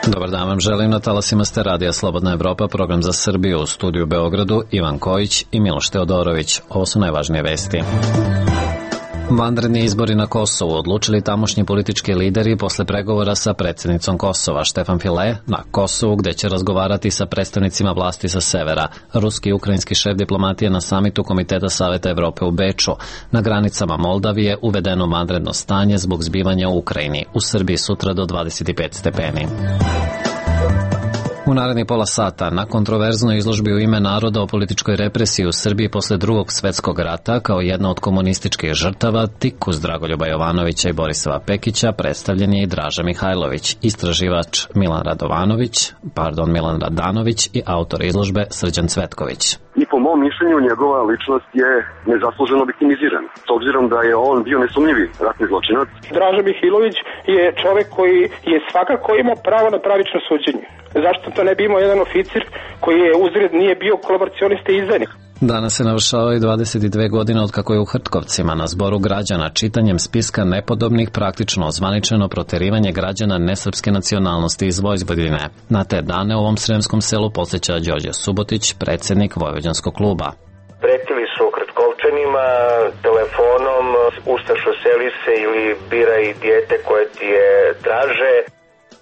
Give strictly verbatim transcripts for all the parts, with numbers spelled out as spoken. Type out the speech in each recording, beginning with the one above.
Dobar dan vam želim, na talasima ste Radija Slobodna Evropa, program za Srbiju, u studiju u Beogradu Ivan Kojić i Miloš Teodorović. Ovo su najvažnije vesti. Vanredni izbori na Kosovu odlučili tamošnji politički lideri posle pregovora sa predsjednicom Kosova Štefan File na Kosovu, gde će razgovarati sa predstavnicima vlasti sa severa. Ruski i ukrajinski šef diplomatije na samitu Komiteta Saveta Evrope u Beču. Na granicama Moldavije uvedeno vanredno stanje zbog zbivanja u Ukrajini. U Srbiji sutra do dvadeset pet stepeni. U narednih pola sata, na kontroverznoj izložbi u ime naroda o političkoj represiji u Srbiji posle drugog svetskog rata, kao jedna od komunističkih žrtava, tik uz Dragoljuba Jovanovića i Borisova Pekića, predstavljen je i Draža Mihajlović, istraživač Milan Radovanović, pardon, Milan Radanović i autor izložbe Srđan Cvetković. I po mom mišljenju njegova ličnost je nezasluženo viktimizirana, s obzirom da je on bio nesumnjivi ratni zločinac. Draža Mihajlović je čovek koji je svakako imao pravo na pravično suđenje. Zašto to ne bi imao jedan oficir koji je uzred nije bio kolaboracionista i izdajnik? Danas se navršavaju dvadeset dve godine od kako je u Hrtkovcima na zboru građana čitanjem spiska nepodobnih praktično ozvaničeno proterivanje građana nesrpske nacionalnosti iz Vojvodine. Na te dane u ovom sremskom selu podsjeća Đorđe Subotić, predsjednik Vojvođanskog kluba. Pretili su Hrtkovčanima telefonom ustašo seli se ili biraj dijete koje ti je draže.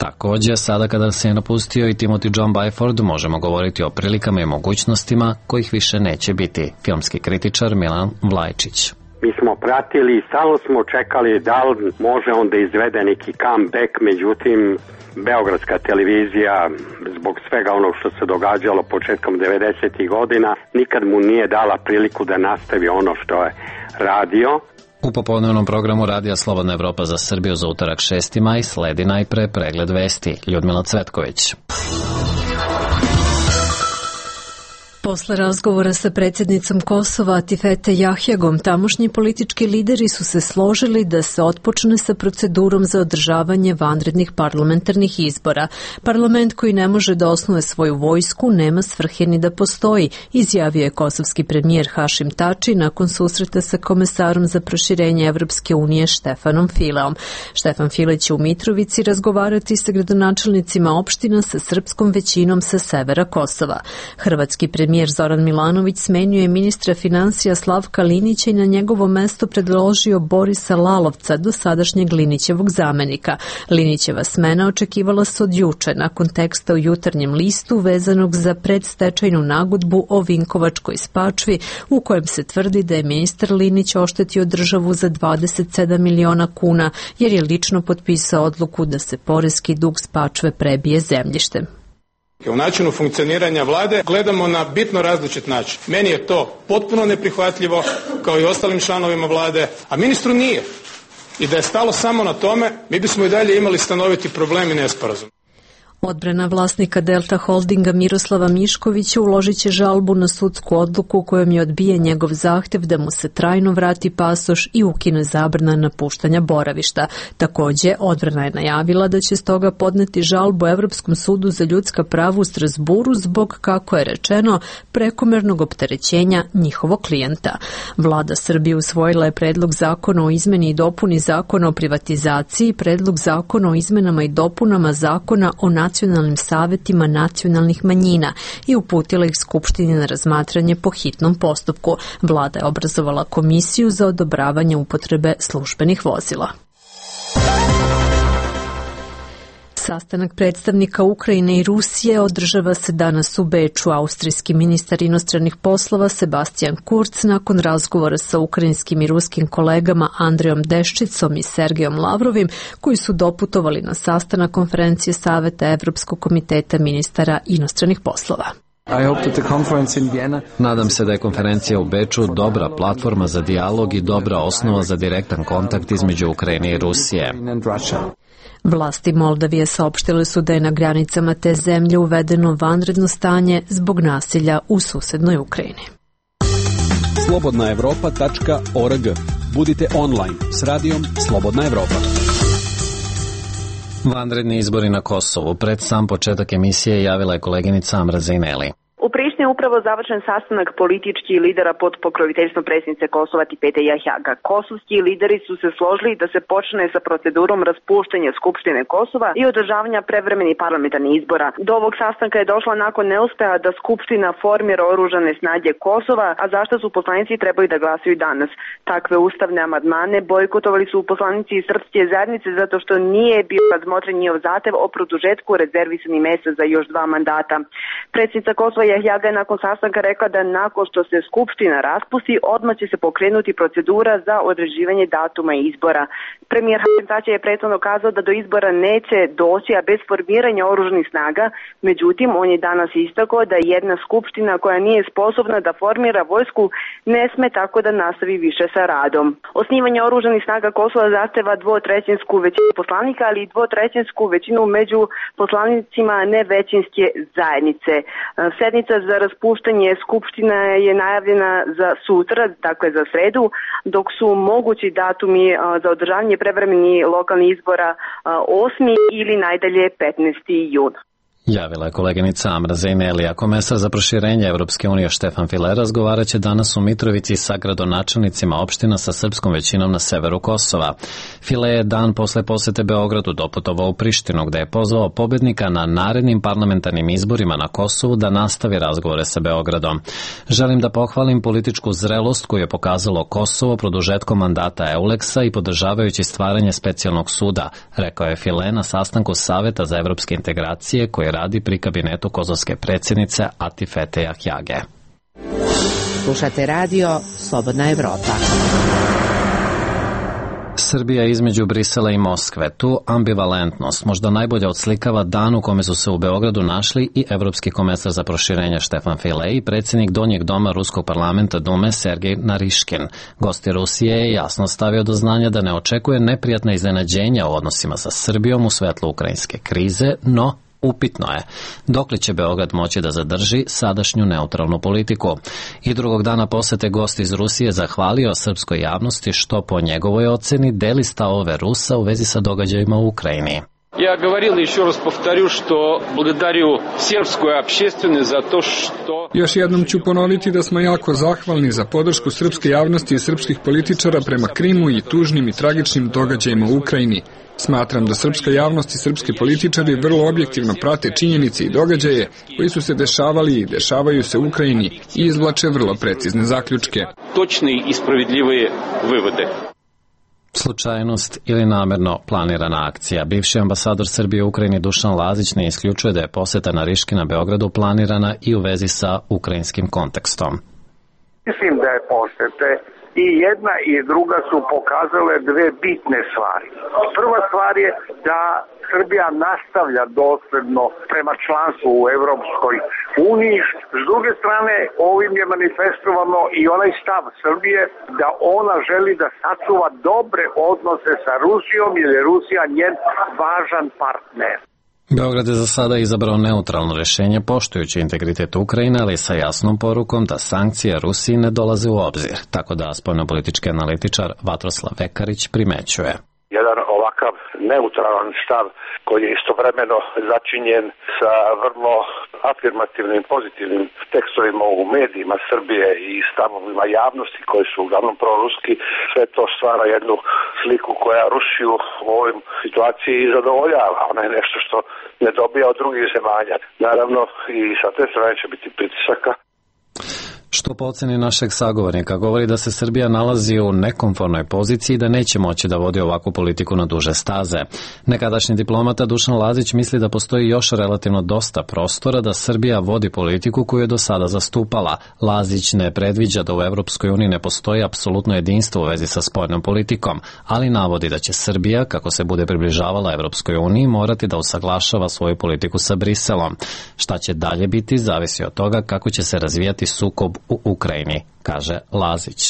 Također, sada kada se je napustio i Timothy John Byford, možemo govoriti o prilikama i mogućnostima kojih više neće biti. Filmski kritičar Milan Vlajčić. Mi smo pratili i stalno smo čekali da li može on da izvede neki comeback, međutim, beogradska televizija, zbog svega onog što se događalo početkom devedesetih godina, nikad mu nije dala priliku da nastavi ono što je radio. U popodnevnom programu Radija Slobodna Evropa za Srbiju za utorak šesti maj sledi najpre pregled vesti. Ljudmila Cvetković. Posle razgovora sa predsjednicom Kosova Atifete Jahjagom, tamošnji politički lideri su se složili da se otpočne sa procedurom za održavanje vanrednih parlamentarnih izbora. Parlament koji ne može da osnuje svoju vojsku nema svrhe ni da postoji, izjavio je kosovski premijer Hašim Tači nakon susreta sa komesarom za proširenje Evropske unije Štefanom Fileom. Štefan File će u Mitrovici razgovarati sa gradonačelnicima opština sa srpskom većinom sa severa Kosova. Hrvatski premijer Premijer Zoran Milanović smenjuje ministra financija Slavka Linića i na njegovo mesto predložio Borisa Lalovca, dosadašnjeg Linićevog zamenika. Linićeva smena očekivala se od juče, nakon teksta u Jutarnjem listu vezanog za predstečajnu nagodbu o Vinkovačkoj Spačvi, u kojem se tvrdi da je ministar Linić oštetio državu za dvadeset sedam miliona kuna, jer je lično potpisao odluku da se poreski dug Spačve prebije zemljištem. U načinu funkcioniranja vlade gledamo na bitno različit način. Meni je to potpuno neprihvatljivo, kao i ostalim članovima vlade, a ministru nije. I da je stalo samo na tome, mi bismo i dalje imali stanoviti problem i nesporazum. Odbrana vlasnika Delta Holdinga Miroslava Miškovića uložit će žalbu na sudsku odluku kojom je odbijen njegov zahtev da mu se trajno vrati pasoš i ukine zabrana napuštanja boravišta. Također, odbrana je najavila da će stoga podneti žalbu Evropskom sudu za ljudska prava u Strasburu zbog, kako je rečeno, prekomernog opterećenja njihovog klijenta. Vlada Srbije usvojila je predlog zakona o izmeni i dopuni zakona o privatizaciji, predlog zakona o izmenama i dopunama zakona o nacionalnim savetima nacionalnih manjina i uputila ih Skupštini na razmatranje po hitnom postupku. Vlada je obrazovala komisiju za odobravanje upotrebe službenih vozila. Sastanak predstavnika Ukrajine i Rusije održava se danas u Beču. Austrijski ministar inostranih poslova Sebastian Kurz nakon razgovora sa ukrajinskim i ruskim kolegama Andrejom Deščicom i Sergejom Lavrovim, koji su doputovali na sastanak konferencije Saveta Evropskog komiteta ministara inostranih poslova. Nadam se da je konferencija u Beču dobra platforma za dijalog i dobra osnova za direktan kontakt između Ukrajine i Rusije. Vlasti Moldavije saopštile su da je na granicama te zemlje uvedeno vanredno stanje zbog nasilja u susednoj Ukrajini. slobodna evropa tačka org. Budite online s radijom Slobodna Evropa. Vanredni izbori na Kosovu. Pred sam početak emisije javila je koleginica Amra Zejneli. U Prištini je upravo završen sastanak političkih lidera pod pokroviteljstvom predsjednice Kosova Tifete Jahjaga. Kosovski lideri su se složili da se počne sa procedurom raspuštanja Skupštine Kosova i održavanja prevremenih parlamentarnih izbora. Do ovog sastanka je došla nakon neuspeha da Skupština formira oružane snage Kosova, a zašto su poslanici trebali da glasaju danas. Takve ustavne amandmane bojkotovali su poslanici iz srpske zajednice zato što nije bio razmotren njihov zahtev o produžetku rezervisanih mesta za još dva mandata. Predsjednica Kosova Jahjaga je nakon sastanka rekla da nakon što se Skupština raspusti, odmah će se pokrenuti procedura za određivanje datuma izbora. Premijer Hašim Tači je prethodno kazao da do izbora neće doći, a bez formiranja oružanih snaga. Međutim, on je danas istakao da jedna skupština koja nije sposobna da formira vojsku ne sme tako da nastavi više sa radom. Osnivanje oružanih snaga Kosova zahteva dvotrećinsku većinu poslanika, ali i dvotrećinsku većinu među poslanicima nevećinske zajednice. Sednica za raspuštanje skupština je najavljena za sutra, dakle za sredu, dok su mogući datumi za održavanje prevremenih lokalnih izbora osmi ili najdalje petnaesti jun. Javila je koleginica Amra Zejnelija. Komesar za proširenje Evropske unije Štefan File razgovarat će danas u Mitrovici sa gradonačelnicima opština sa srpskom većinom na severu Kosova. File je dan posle posete Beogradu doputovao u Prištinu, gde je pozvao pobednika na narednim parlamentarnim izborima na Kosovu da nastavi razgovore sa Beogradom. Želim da pohvalim političku zrelost koju je pokazalo Kosovo produžetkom mandata Euleksa i podržavajući stvaranje specijalnog suda, rekao je File na sastanku Saveta za evropske integracije koji radi pri kabinetu kosovske predsjednice Atifete Jahjage. Slušate radio Slobodna Evropa. Srbija između Brisela i Moskve. Tu ambivalentnost možda najbolje odslikava dan u kome su se u Beogradu našli i evropski komesar za proširenje Štefan File i predsjednik donjeg doma Ruskog parlamenta Dume Sergej Nariškin. Gosti Rusije je jasno stavio do znanja da ne očekuje neprijatna iznenađenja u odnosima sa Srbijom u svetlu ukrajinske krize, no upitno je dokle će Beograd moći da zadrži sadašnju neutralnu politiku. I drugog dana posete gost iz Rusije zahvalio srpskoj javnosti što po njegovoj oceni deli stavove Rusa u vezi sa događajima u Ukrajini. Я говорил и еще раз повторю, что благодарю сербскую общественность за то, что... Još jednom ću ponoviti da smo jako zahvalni za podršku srpske javnosti i srpskih političara prema Krimu i tužnim i tragičnim događajima u Ukrajini. Smatram da srpska javnost i srpski političari vrlo objektivno prate činjenice i događaje koji su se dešavali i dešavaju se u Ukrajini i izvlače vrlo precizne zaključke. Točne i spravedljive vivode. Slučajnost ili namerno planirana akcija. Bivši ambasador Srbije u Ukrajini Dušan Lazić ne isključuje da je poseta Nariškina Beogradu planirana i u vezi sa ukrajinskim kontekstom. Mislim da je posete i jedna i druga su pokazale dve bitne stvari. Prva stvar je da Srbija nastavlja dosledno prema članstvu u Evropskoj uniji. S druge strane, ovim je manifestovano i onaj stav Srbije da ona želi da sačuva dobre odnose sa Rusijom, jer je Rusija njen važan partner. Beograd je za sada izabrao neutralno rješenje poštujući integritet Ukrajine, ali sa jasnom porukom da sankcije Rusiji ne dolaze u obzir, tako da spoljnopolitički analitičar Vatroslav Vekarić primećuje. Jedan ovakav neutralan stav koji je istovremeno začinjen sa vrlo afirmativnim, pozitivnim tekstovima u medijima Srbije i stavovima javnosti koji su uglavnom proruski, sve to stvara jednu sliku koja Rusiju u ovoj situaciji zadovoljava. Ona je nešto što ne dobija od drugih zemalja. Naravno i sa te strane će biti pritisaka. Što po oceni našeg sagovornika govori da se Srbija nalazi u nekomfornoj poziciji i da neće moći da vodi ovakvu politiku na duže staze. Nekadašnji diplomata Dušan Lazić misli da postoji još relativno dosta prostora da Srbija vodi politiku koju je do sada zastupala. Lazić ne predviđa da u Evropskoj uniji ne postoji apsolutno jedinstvo u vezi sa spoljnom politikom, ali navodi da će Srbija, kako se bude približavala Evropskoj uniji, morati da usaglašava svoju politiku sa Briselom. Šta će dalje biti, zavisi od toga kako će se razvijati sukob u Ukrajini, kaže Lazić.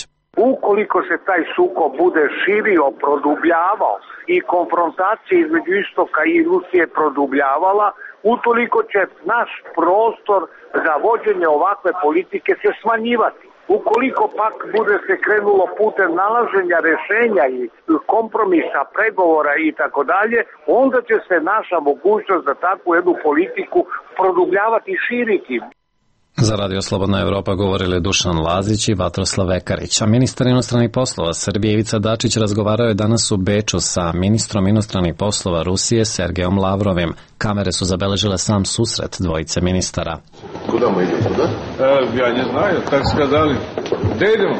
Ukoliko se taj sukob bude širio, produbljavao i konfrontacija između Istoka i Rusije produbljavala, utoliko će naš prostor za vođenje ovakve politike se smanjivati. Ukoliko pak bude se krenulo putem nalaženja rešenja i kompromisa, pregovora i tako dalje, onda će se naša mogućnost za takvu jednu politiku produbljavati i širiti. Za Radio Slobodna Evropa govorili Dušan Lazić i Vatroslav Vekarić, a ministar inostranih poslova Srbije Ivica Dačić razgovarao je danas u Beču sa ministrom inostranih poslova Rusije Sergejom Lavrovim. Kamere su zabeležile sam susret dvojice ministara. Kuda mu idemo, kuda? E, ja ne znaju, tako skazali. Gde idemo?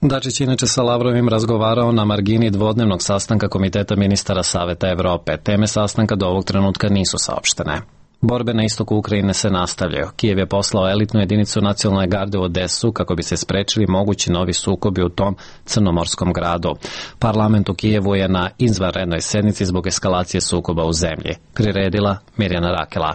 Dačić inače sa Lavrovim razgovarao na margini dvodnevnog sastanka Komiteta ministara Saveta Evrope. Teme sastanka do ovog trenutka nisu saopštene. Borbe na istoku Ukrajine se nastavljaju. Kijev je poslao elitnu jedinicu nacionalne garde u Odesu kako bi se sprečili mogući novi sukobi u tom crnomorskom gradu. Parlament u Kijevu je na izvanrednoj sednici zbog eskalacije sukoba u zemlji. Priredila Mirjana Rakela.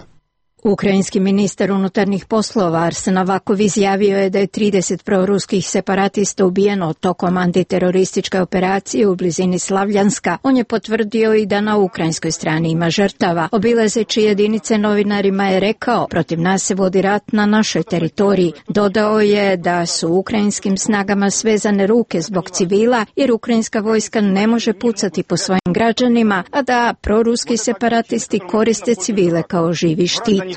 Ukrajinski ministar unutarnjih poslova Arsen Avakov izjavio je da je trideset proruskih separatista ubijeno tokom antiterorističke operacije u blizini Slavljanska. On je potvrdio i da na ukrajinskoj strani ima žrtava. Obilazeći jedinice novinarima je rekao, protiv nas se vodi rat na našoj teritoriji. Dodao je da su ukrajinskim snagama svezane ruke zbog civila, jer ukrajinska vojska ne može pucati po svojim građanima, a da proruski separatisti koriste civile kao živi štit.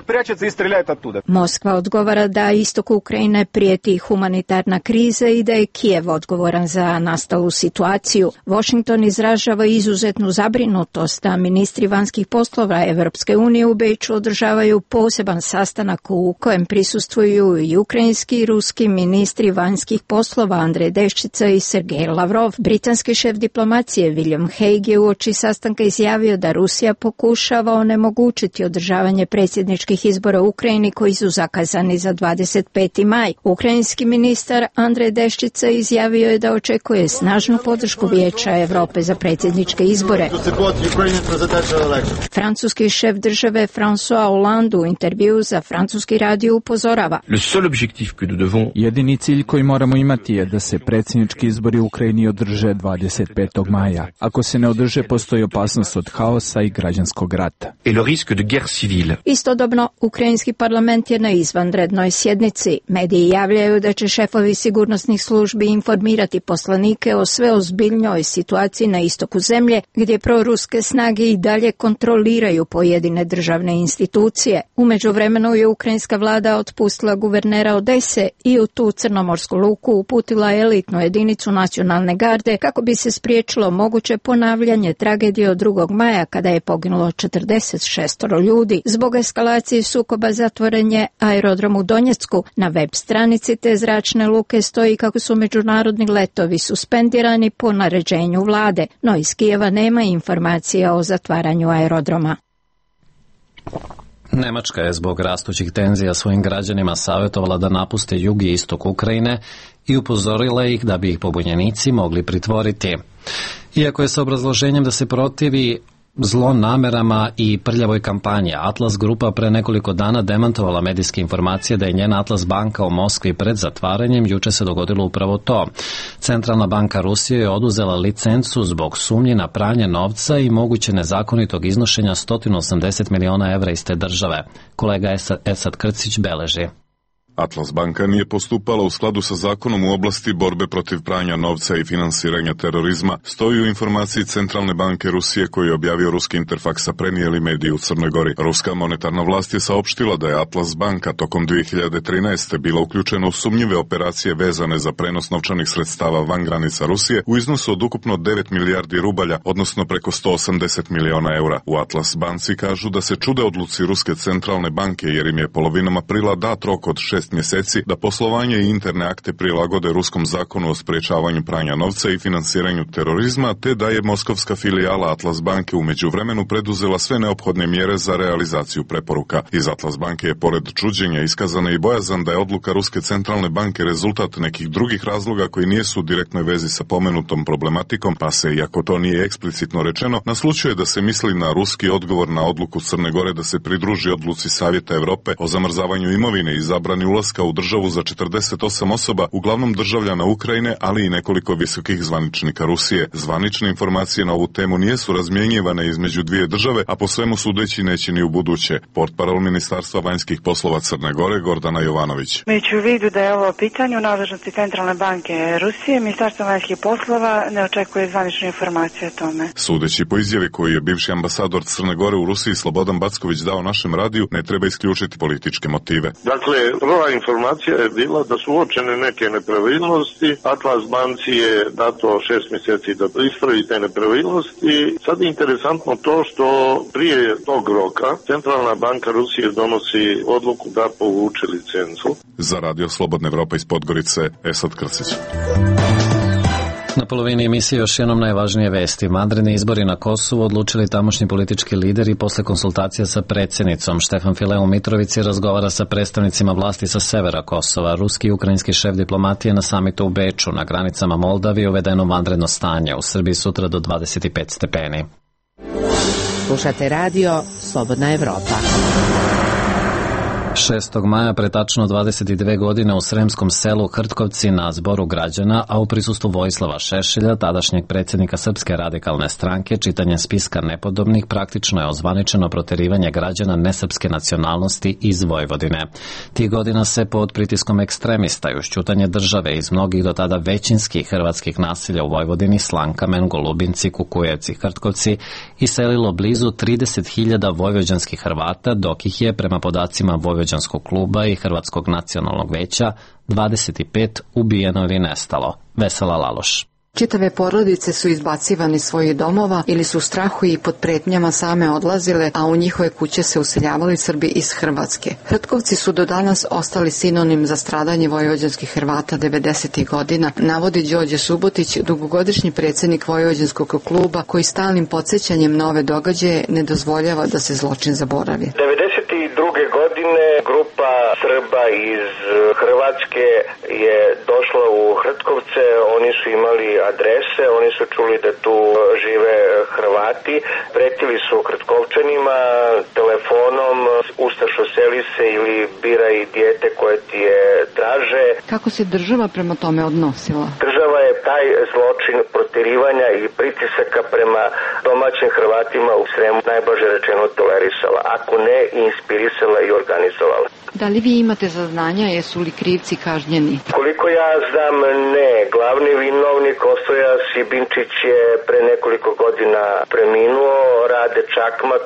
Moskva odgovara da istoku Ukrajine prijeti humanitarna kriza i da je Kijev odgovoran za nastalu situaciju. Washington izražava izuzetnu zabrinutost, a ministri vanjskih poslova Evropske unije u Beču održavaju poseban sastanak u kojem prisustvuju i ukrajinski i ruski ministri vanjskih poslova Andrej Deščica i Sergej Lavrov. Britanski šef diplomacije William Hague je uoči sastanka izjavio da Rusija pokušava onemogućiti održavanje predsjedničkih izbora u Ukrajini koji su zakazani za dvadeset peti maj. Ukrajinski ministar Andrej Deščica izjavio je da očekuje snažnu podršku Vijeća Evrope za predsjedničke izbore. Francuski šef države François Hollande u intervju za francuski radio upozorava. Jedini cilj koji moramo imati je da se predsjednički izbori u Ukrajini održe dvadeset petog maja. Ako se ne održe, postoji opasnost od haosa i građanskog rata. Istodobno, ukrajinski parlament je na izvanrednoj sjednici. Mediji javljaju da će šefovi sigurnosnih službi informirati poslanike o sve ozbiljnjoj situaciji na istoku zemlje, gdje proruske snage i dalje kontroliraju pojedine državne institucije. U međuvremenu je ukrajinska vlada otpustila guvernera Odese i u tu crnomorsku luku uputila elitnu jedinicu nacionalne garde kako bi se spriječilo moguće ponavljanje tragedije od drugog maja kada je poginulo četrdeset šest ljudi. Zbog eskalacije sukoba zatvoren je aerodrom u Donjecku. Na web stranici te zračne luke stoji kako su međunarodni letovi suspendirani po naređenju vlade, no iz Kijeva nema informacija o zatvaranju aerodroma. Nemačka je zbog rastućih tenzija svojim građanima savjetovala da napuste jug i istok Ukrajine i upozorila ih da bi ih pobunjenici mogli pritvoriti. Iako je sa obrazloženjem da se protivi zlonamerama i prljavoj kampanji, Atlas Grupa pre nekoliko dana demantovala medijske informacije da je njena Atlas banka u Moskvi pred zatvaranjem. Juče se dogodilo upravo to. Centralna banka Rusije je oduzela licencu zbog sumnji na pranje novca i moguće nezakonitog iznošenja sto osamdeset miliona evra iz te države. Kolega Esad Krcić beleži. Atlas banka nije postupala u skladu sa zakonom u oblasti borbe protiv pranja novca i finansiranja terorizma, stoji u informaciji Centralne banke Rusije koju je objavio ruski Interfaks, a prenijeli mediji u Crnoj Gori. Ruska monetarna vlast je saopštila da je Atlas banka tokom dvije hiljade trinaeste. bila uključena u sumnjive operacije vezane za prenos novčanih sredstava van granica Rusije u iznosu od ukupno devet milijardi rubalja, odnosno preko sto osamdeset miliona eura. U Atlas banci kažu da se čude odluci Ruske centralne banke jer im je polovinom aprila dat rok od šest mjeseci da poslovanje i interne akte prilagode ruskom zakonu o sprečavanju pranja novca i finansiranju terorizma, te da je moskovska filijala Atlas banke u međuvremenu preduzela sve neophodne mjere za realizaciju preporuka. Iz Atlas banke je pored čuđenja iskazana i bojazan da je odluka Ruske centralne banke rezultat nekih drugih razloga koji nijesu u direktnoj vezi sa pomenutom problematikom, pa se, iako to nije eksplicitno rečeno, naslučuje da se misli na ruski odgovor na odluku Crne Gore da se pridruži odluci Savjeta Evrope o zamrzavanju imovine i zabrani ulaska u državu za četrdeset osam osoba, uglavnom državljana Ukrajine, ali i nekoliko visokih zvaničnika Rusije. Zvanične informacije na ovu temu nijesu razmjenjivane između dvije države, a po svemu sudeći neće ni u buduće. Portparol Ministarstva vanjskih poslova Crne Gore Gordana Jovanović. Imajući u vidu da je ovo pitanje u nadležnosti Centralne banke Rusije, Ministarstvo vanjskih poslova ne očekuje zvanične informacije o tome. Sudeći po izjavi koju je bivši ambasador Crne Gore u Rusiji Slobodan Backović dao našem radiju, ne treba isključiti političke motive. Dakle, prva informacija je bila da su uočene neke nepravilnosti. Atlas banci je dato šest mjeseci da ispravi te nepravilnosti. Sad je interesantno to što prije tog roka Centralna banka Rusije donosi odluku da povuče licencu. Za Radio Slobodna Evropa iz Podgorice, Esad Krsić. Na polovini emisije još jednom najvažnije vesti. Vanredni izbori na Kosovu odlučili tamošnji politički lideri posle konsultacija sa predsjednicom. Štefan File u Mitrovici razgovara sa predstavnicima vlasti sa severa Kosova. Ruski i ukrajinski šef diplomatije na samitu u Beču. Na granicama Moldavije uvedeno vanredno stanje. U Srbiji sutra do dvadeset pet stepeni. Slušate radio Slobodna Evropa. šestog maja pre tačno dvadeset dve godine u sremskom selu Hrtkovci na zboru građana, a u prisustvu Vojislava Šešelja, tadašnjeg predsjednika Srpske radikalne stranke, čitanje spiska nepodobnih praktično je ozvaničeno proterivanje građana nesrpske nacionalnosti iz Vojvodine. Tih godina se pod pritiskom ekstremista i ušćutanje države iz mnogih do tada većinskih hrvatskih naselja u Vojvodini, Slankamen, Golubinci, Kukujevci, Hrtkovci, iselilo blizu trideset hiljada vojvođanskih Hrvata, dok ih je, prema podacima Vojvođanskog kluba i Hrvatskog nacionalnog veća, dvadeset pet ubijeno ili nestalo. Vesela Laloš. Čitave porodice su izbacivani svojih domova ili su u strahu i pod pretnjama same odlazile, a u njihove kuće se useljavali Srbi iz Hrvatske. Hrtkovci su do danas ostali sinonim za stradanje vojvođanskih Hrvata devedesetih godina, navodi Đorđe Subotić, dugogodišnji predsjednik Vojvođanskog kluba, koji stalnim podsjećanjem na ove događaje ne dozvoljava da se zločin zaboravi. devedeset druge godine grupa Srba iz Hrvatske je došla u Hrtkovce, oni su imali adrese, oni su čuli da tu žive Hrvati, pretili su Hrtkovčanima telefonom, ustašo seli se ili biraj dijete koje ti je traže. Kako se država prema tome odnosila? Država je taj zločin proterivanja i pritisaka prema domaćim Hrvatima u Sremu najblaže rečeno tolerisala, ako ne inspirisala i organizovala. Da li vi imate saznanja, jesu li krivci kažnjeni? Koliko ja znam, ne. Glavni vinovnik Ostoja Sibinčić je pre nekoliko godina preminuo. Rade Čakmak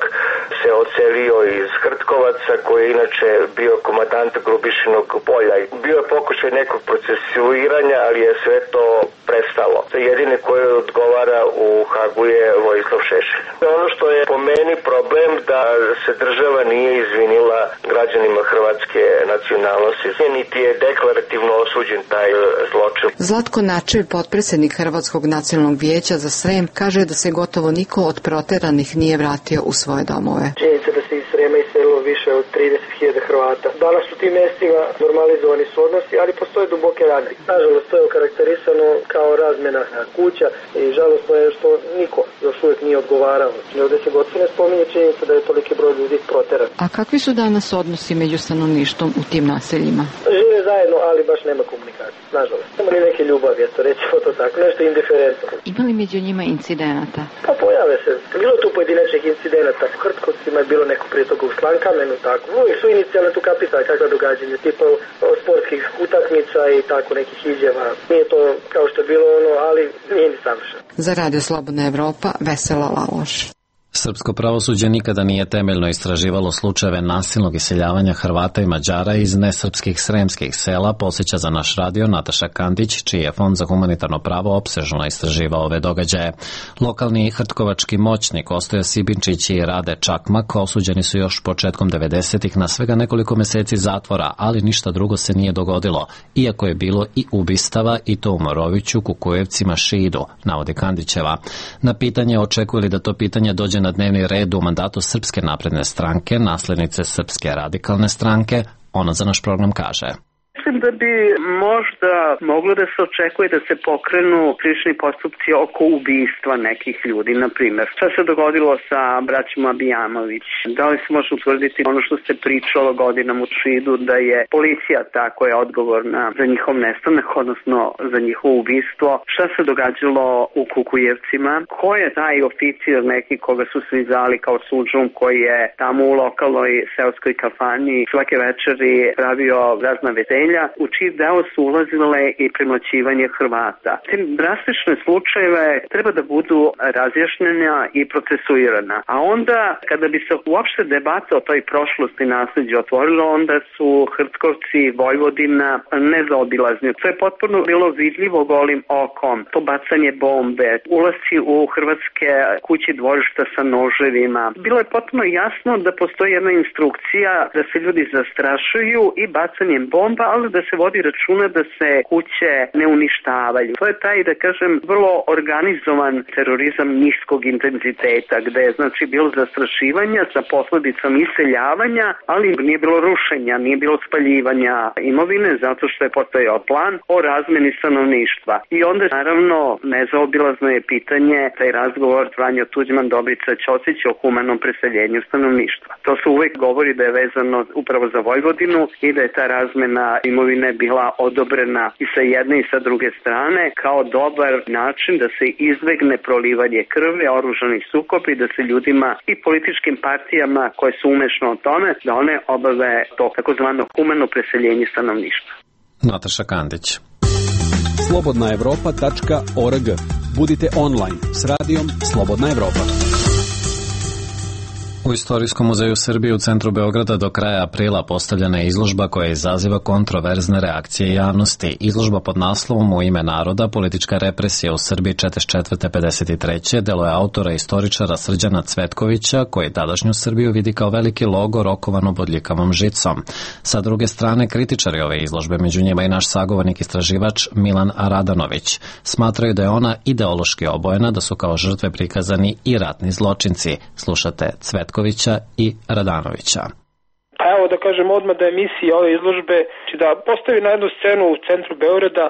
se odselio iz Hrtkovaca, koji je inače bio komandant Grubišinog polja. Bio je pokušaj nekog procesuiranja, ali je sve to prestalo. Jedini koji odgovara u Hagu je Vojislav Šešelj. Ono što je po meni problem da se država nije izvinila građanima hrvatske nacionalnosti, niti je deklarativno osuđen taj zločin. Zlatko Načev, potpredsjednik Hrvatskog nacionalnog vijeća za Srem, kaže da se gotovo niko od proteranih nije vratio u svoje domove. Činjenica da se iz Srema iselilo više od trideset hiljada Hrvata. Danas u tim mjestima normalizovani su odnosi, ali postoje duboke rane. Nažalost, to je okarakterisano kao razmjena kuća i žalostno je što niko još uvijek nije odgovarao. Ovdje se gotovo ne spominje činjenica da je toliki broj ljudi proteran. A kakvi su danas odnosi među stanovništvom u tim naseljima? Žive zajedno, ali baš nema komunikacije, nažalost. Nema ni neke ljubavi, eto, recimo to tako, nešto indiferentno. Ima li među njima incidenata? Pa pojave se. Bilo tu pojedinačnih incidenata. U Hrtkovcima je bilo neko prije toga u Slankamenu, tako. Uvijek su inicijalne tu kapisali kakva događanja, tipa sportskih utakmica i tako nekih izjava. Nije to kao što je bilo ono, ali nije ni savršeno. Za Radio Slobodna Evropa, Vesela Laloš. Srpsko pravosuđe nikada nije temeljno istraživalo slučajeve nasilnog iseljavanja Hrvata i Mađara iz nesrpskih sremskih sela, podsjeća za naš radio Nataša Kandić, čiji je Fond za humanitarno pravo opsežno istraživao ove događaje. Lokalni hrtkovački moćnik Ostoja Sibinčić i Rade Čakmak osuđeni su još početkom devedesetih na svega nekoliko meseci zatvora, ali ništa drugo se nije dogodilo, iako je bilo i ubistava, i to u Moroviću, Kukujevcima, Šidu, navodi Kandićeva. Na pitanje očekuje li da to pitanje dođe na dnevni red u mandatu Srpske napredne stranke, naslednice Srpske radikalne stranke, ona za naš program kaže. Srpska Mislim da bi možda moglo da se očekuje da se pokrenu krivični postupci oko ubistva nekih ljudi, na primjer. Šta se dogodilo sa braćom Abijamović? Da li se može utvrditi ono što se pričalo godinama u Šidu, da je policija ta koja je odgovorna za njihov nestanak, odnosno za njihovo ubistvo? Šta se događalo u Kukujevcima? Ko je taj oficir neki koga su svi zvali kao Sudžum, koji je tamo u lokalnoj seoskoj kafani svake večeri pravio razna veselja, u čiji deo su ulazile i premlaćivanje Hrvata. Te drastične slučajeve treba da budu razjašnjena i procesuirana. A onda, kada bi se uopšte debata o toj prošlosti nasljeđa otvorilo, onda su Hrtkovci, Vojvodina nezaobilazni. To je potpuno bilo vidljivo golim okom. To bacanje bombe, ulasci u hrvatske kući dvorišta sa noževima. Bilo je potpuno jasno da postoji jedna instrukcija da se ljudi zastrašuju i bacanjem bomba, ali da se vodi računa da se kuće ne uništavaju. To je taj, da kažem, vrlo organizovan terorizam niskog intenziteta, gde je znači bilo zastrašivanja sa posledicom iseljavanja, ali nije bilo rušenja, nije bilo spaljivanja imovine, zato što je postojao plan o razmeni stanovništva. I onda, naravno, nezaobilazno je pitanje, taj razgovor Franjo Tuđman, Dobrica Ćosić o humanom preseljenju stanovništva. To se uvek govori da je vezano upravo za Vojvodinu i da je ta razmena imovine bila odobrena i sa jedne i sa druge strane kao dobar način da se izbegne prolivanje krvi, oružani sukob i da se ljudima i političkim partijama koje su umešno o tome, da one obave to takozvano humano preseljenje stanovništva. Nataša Kandić. slobodna evropa tačka org. Budite online s radijom Slobodna Evropa. U Istorijskom muzeju Srbije u centru Beograda do kraja aprila postavljena je izložba koja izaziva kontroverzne reakcije javnosti. Izložba pod naslovom U ime naroda, politička represija u Srbiji četrdeset četvrte do pedeset treće delo je autora i istoričara Srđana Cvetkovića, koji tadašnju Srbiju vidi kao veliki logor okovanu bodljikavom žicom. Sa druge strane, kritičari ove izložbe, među njima i naš sagovornik istraživač Milan Radanović, smatraju da je ona ideološki obojena, da su kao žrtve prikazani i ratni zločinci. Slušate Cvetkovića i Radanovića. Pa evo da kažem odmah da je misija ove izložbe da postavi na jednu scenu u centru Beograda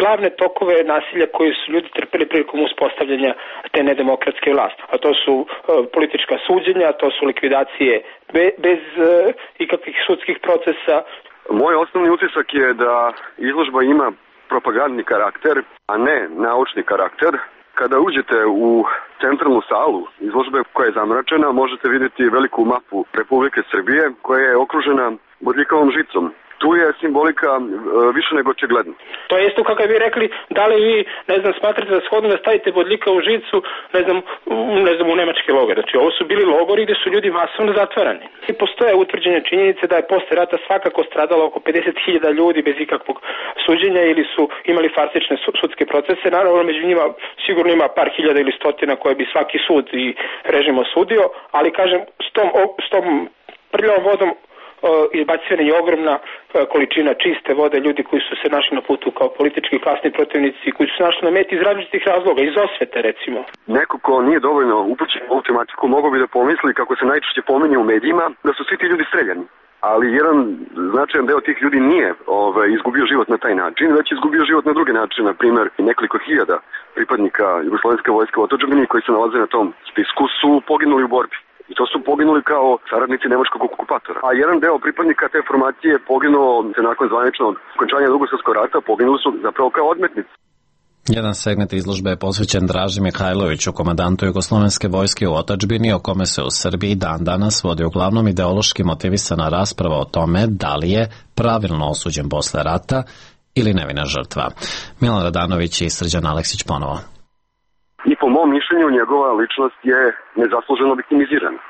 glavne tokove nasilja koje su ljudi trpeli prilikom uspostavljanja te nedemokratske vlasti. A to su uh, politička suđenja, to su likvidacije be, bez uh, ikakvih sudskih procesa. Moj osnovni utisak je da izložba ima propagandni karakter, a ne naučni karakter. Kada uđete u centralnu salu izložbe koja je zamračena, možete vidjeti veliku mapu Republike Srbije koja je okružena bodljikavom žicom. Tu je simbolika e, više nego očigledna. To je isto kako bi rekli, da li vi, ne znam, smatrate da shodno da stavite bodljika u žicu, ne znam, ne znam, u nemački logor. Znači, ovo su bili logori gde su ljudi masovno zatvarani. I postoje utvrđene činjenice da je posle rata svakako stradalo oko pedeset hiljada ljudi bez ikakvog suđenja ili su imali farsične sudske procese. Naravno, među njima sigurno ima par hiljada ili stotina koje bi svaki sud i režim osudio, ali kažem, s tom, s tom prljavom vodom izbacivana je ogromna količina čiste vode, ljudi koji su se našli na putu kao politički klasni protivnici, koji su se našli na meti iz različitih razloga, iz osvete recimo. Neko ko nije dovoljno upućen u ovu tematiku mogao bi da pomisli, kako se najčešće pominje u medijima, da su svi ti ljudi streljani. Ali jedan značajan deo tih ljudi nije ovaj, izgubio život na taj način, već izgubio život na druge načine. Na primjer, nekoliko hiljada pripadnika Jugoslovenske vojske u otadžbini koji se nalaze na tom spisku su poginuli u borbi. I to su poginuli kao saradnici nemačkog okupatora. A jedan deo pripadnika te formacije poginuo se nakon zvaničnog okončanja Drugog svjetskog rata, poginuli su zapravo kao odmetnici. Jedan segment izložbe je posvećen Draži Mihajloviću, komandantu Jugoslovenske vojske u otadžbini, o kome se u Srbiji dan danas vodi uglavnom ideološki motivisana rasprava o tome da li je pravilno osuđen posle rata ili nevina žrtva. Milan Radanović i Srđan Aleksić ponovo. I po mom mišljenju njegova ličnost je nezasluženo viktimizirana.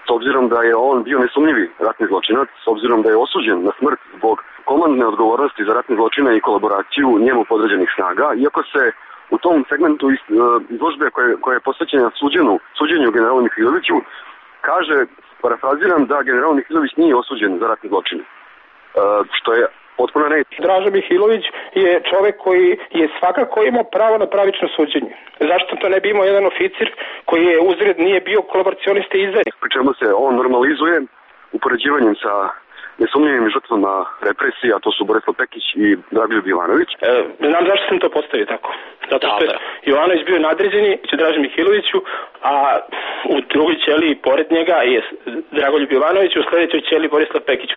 S obzirom da je on bio nesumnjivi ratni zločinac, s obzirom da je osuđen na smrt zbog komandne odgovornosti za ratne zločine i kolaboraciju njemu podređenih snaga, iako se u tom segmentu izložbe koje, koje je posvećena suđenju, suđenju generalu Mihajloviću, kaže, parafraziram, da general Mihajlović nije osuđen za ratne zločine. Što je potpuno ne. Draža Mihajlović je čovek koji je svakako imao pravo na pravično suđenje. Zašto to ne bi imao jedan oficir koji je uzred nije bio kolaboracionista i izdajnik? Pri čemu se on normalizuje upoređivanjem sa nesumnjivim žrtvama represija, a to su Borislav Pekić i Dragoljub Jovanović. E, znam zašto sam to postavio tako. Zato što je Jovanović bio nadređeni Draži Mihajloviću, a u drugoj ćeliji pored njega je Dragoljub Jovanović, u sledećoj ćeliji Borislav Pekić.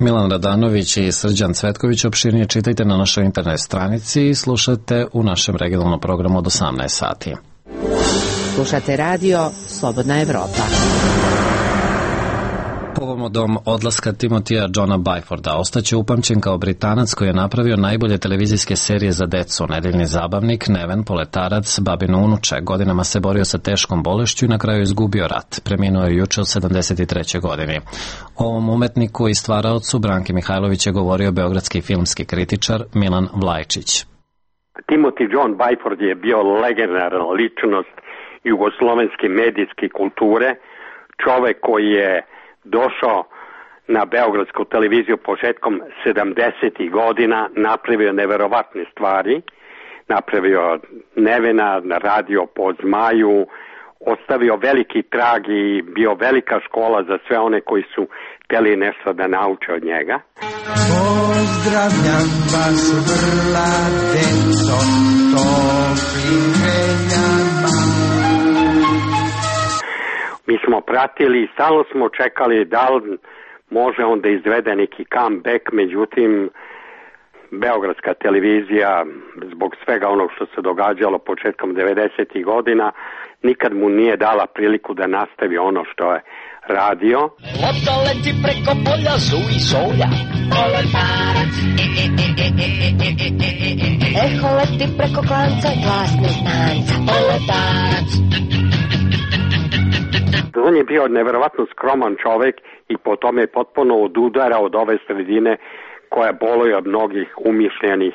Milan Radanović i Srđan Cvetković, opširnije čitajte na našoj internet stranici i slušate u našem regionalnom programu od osamnaest sati. Slušate radio Slobodna Evropa. Povodom odlaska Timotija Johna Byforda ostaće upamćen kao Britanac koji je napravio najbolje televizijske serije za decu, Nedeljni zabavnik, Neven, Poletarac, Babino unuče. Godinama se borio sa teškom bolešću i na kraju izgubio rat. Preminuo je juče u sedamdeset trećoj godini. O ovom umetniku i stvaraocu Branki Mihajlović je govorio beogradski filmski kritičar Milan Vlajčić. Timothy John Byford je bio legendarna ličnost jugoslovenske medijske kulture, čovek koji je došao na beogradsku televiziju početkom sedamdesetih godina, napravio neverovatne stvari, napravio Nevena, radio po Zmaju, ostavio veliki trag i bio velika škola za sve one koji su hteli nešto da nauče od njega. Pozdravljam vas vrla deco, toplim željama. Mi smo pratili i stalno smo čekali da li može on da izvede neki comeback, međutim beogradska televizija zbog svega onog što se događalo početkom devedesetih godina nikad mu nije dala priliku da nastavi ono što je radio. Lopta leti preko polja, zuji solja. Poletarac, e, e, e, e, e, e, e, e, e. Eho leti preko klanca, glas neznanca. Poletarac. On je bio neverovatno skroman čovek i po tome je potpuno odudara od ove sredine koja boluje od mnogih umišljenih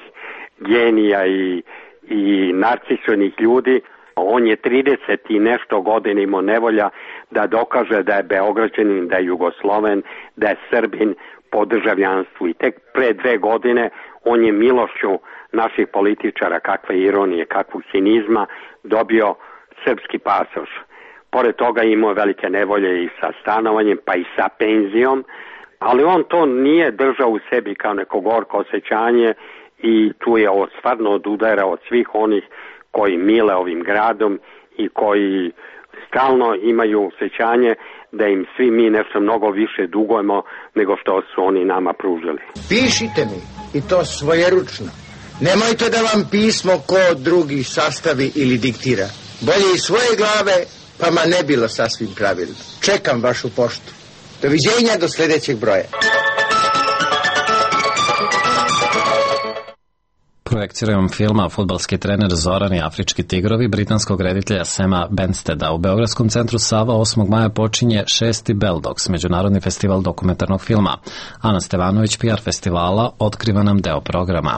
genija i, i narcisonih ljudi. On je trideset i nešto godina imao nevolja da dokaže da je Beograđanin, da je Jugosloven, da je Srbin po državljanstvu. I tek pre dve godine on je milošću naših političara, kakve ironije, kakvog cinizma, dobio srpski pasoš. Pored toga imao velike nevolje i sa stanovanjem, pa i sa penzijom, ali on to nije držao u sebi kao neko gorko osjećanje i tu je ovo stvarno odudara od svih onih koji mile ovim gradom i koji stalno imaju osjećanje da im svi mi nešto mnogo više dugujemo nego što su oni nama pružili. Pišite mi i to svojeručno. Nemojte da vam pismo ko drugi sastavi ili diktira. Bolje iz svoje glave, pa ma ne bilo sasvim pravilno. Čekam vašu poštu. Doviđenja do sljedećeg broja. Projekcijom filma Fudbalski trener Zoran i Afrički tigrovi britanskog reditelja Sema Bensteda u Beogradskom centru Sava osmog maja počinje šesti Beldogs, međunarodni festival dokumentarnog filma. Ana Stevanović, P R festivala, otkriva nam deo programa.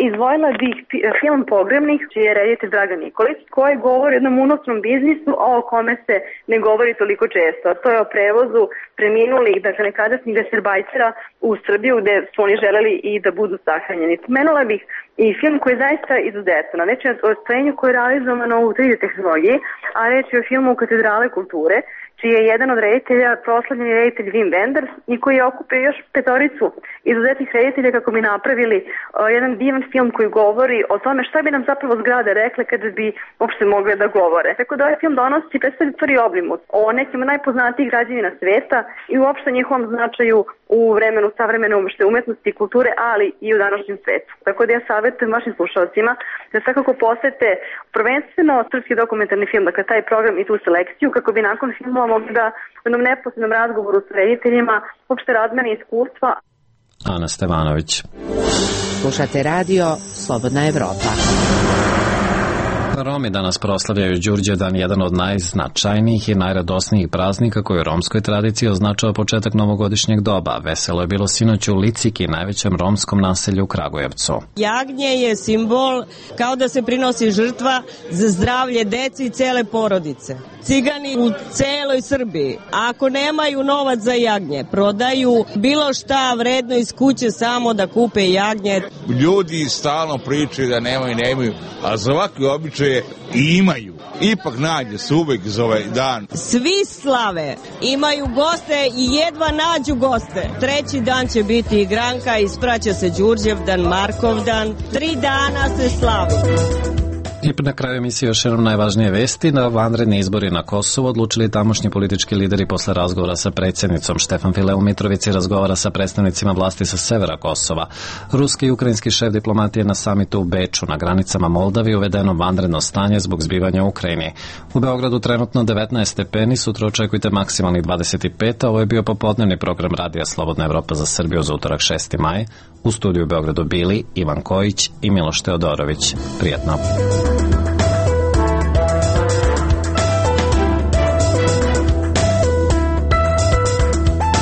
Izdvojila bih film Pogrebnik, čiji je reditelj Dragan Nikolić, koji govori o jednom unosnom biznisu o kome se ne govori toliko često. To je o prevozu preminulih, dakle nekadašnjih gesterbajtera u Srbiju gde su oni želeli i da budu sahranjeni. Spomenula bih i film koji je zaista izuzetan. Reč je o stvorenju koje je realizovano u tri D tehnologiji, a reč je o filmu Katedrale kulture, čiji je jedan od reditelja proslavljeni reditelj Wim Wenders i koji je okupio još petoricu izuzetnih reditelja kako bi napravili uh, jedan divan film koji govori o tome šta bi nam zapravo zgrade rekle kada bi uopšte mogle da govore. Tako da ovaj film donosi i predstavlja stvari obrimut o nekim najpoznatijih građevina sveta i uopšte njihovom značaju u vremenu savremene uopšte umetnosti i kulture, ali i u današnjem svetu. Tako da ja savjetujem vašim slušalcima da svakako posete prvenstveno srpski dokumentarni film, dakle taj program i tu selekciju, kako bi nakon filmova mogli da u jednom neposrednom razgovoru s rediteljima uopšte razmene iskustva. Ana Stevanović. Slušate radio Slobodna Evropa. Romi danas proslavljaju Đurđevdan, jedan od najznačajnijih i najradosnijih praznika koji u romskoj tradiciji označava početak novogodišnjeg doba. Veselo je bilo sinoć u Liciki, najvećem romskom naselju u Kragujevcu. Jagnje je simbol kao da se prinosi žrtva za zdravlje dece i cele porodice. Cigani u celoj Srbiji, ako nemaju novac za jagnje, prodaju bilo šta vredno iz kuće samo da kupe jagnje. Ljudi stalno pričaju da nemaju, nemaju, a za ovakve običaje i imaju. ipak nađe se uvek za ovaj dan. Svi slave, imaju goste i jedva nađu goste. Treći dan će biti igranka, ispraća se Đurđevdan, Markovdan, tri dana se slavi. I na kraju emisije još jednom najvažnije vesti. Na vanredni izbori na Kosovu odlučili tamošnji politički lideri posle razgovora sa predsjednicom. Štefan File u Mitrovici razgovara sa predstavnicima vlasti sa severa Kosova. Ruski i ukrajinski šef diplomatije na samitu u Beču. Na granicama Moldavije uvedeno vanredno stanje zbog zbivanja u Ukrajini. U Beogradu trenutno devetnaest stepeni, sutra očekujte maksimalnih dvadeset pet, a ovo je bio popodnevni program Radija Slobodna Evropa za Srbiju za utorak šesti maj. U studiju u Beogradu bili Ivan Kojić i Miloš Teodorović. Prijetno.